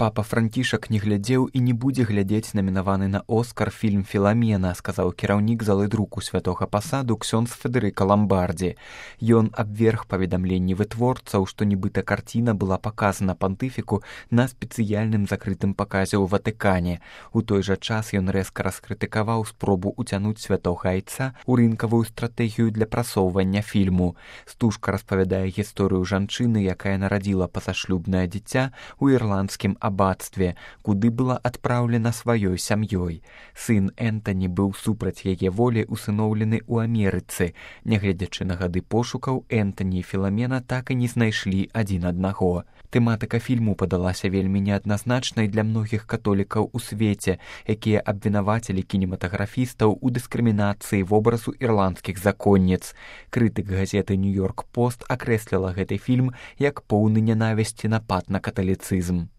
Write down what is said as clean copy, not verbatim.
Папа Францішак не глядзеў і не будзе глядзець намінаваны на Оскар фільм «Філамена», сказаў кіраўнік залы друку святога пасаду ксёндз Федэрыка Ламбардзі. Ён абверг паведамленні вытворцаў, што нібыта карціна была паказана пантыфіку на спецыяльным закрытым паказе ў Ватыкане. У той жа час ён рэзка раскрытыкаваў спробу ўцянуць святога айца ў рынкавую стратэгію для прасоўвання фільму. Стужка распавядае гісторыю жанчыны, якая нарадзіла пазашлюбнае дзіця ў ірландскім абацтве, куды была адпраўлена сваёй сям'ёй. Сын Энтані быў супраць яе волі усыноўлены ў Амерыцы. Нягледзячы на гады пошукаў, Энтані і Філамена так і не знайшлі адзін аднаго. Тэматыка фільму падалася вельмі неадназначнай для многіх католікаў у свеце, якія абвінавацілі кінематаграфістаў у дыскрымінацыі вобразу ірландскіх законніц. Крытык газеты «Нью-Йорк Пост» акрэсліла гэты фільм як поўны нянавісці напад на каталіцызм.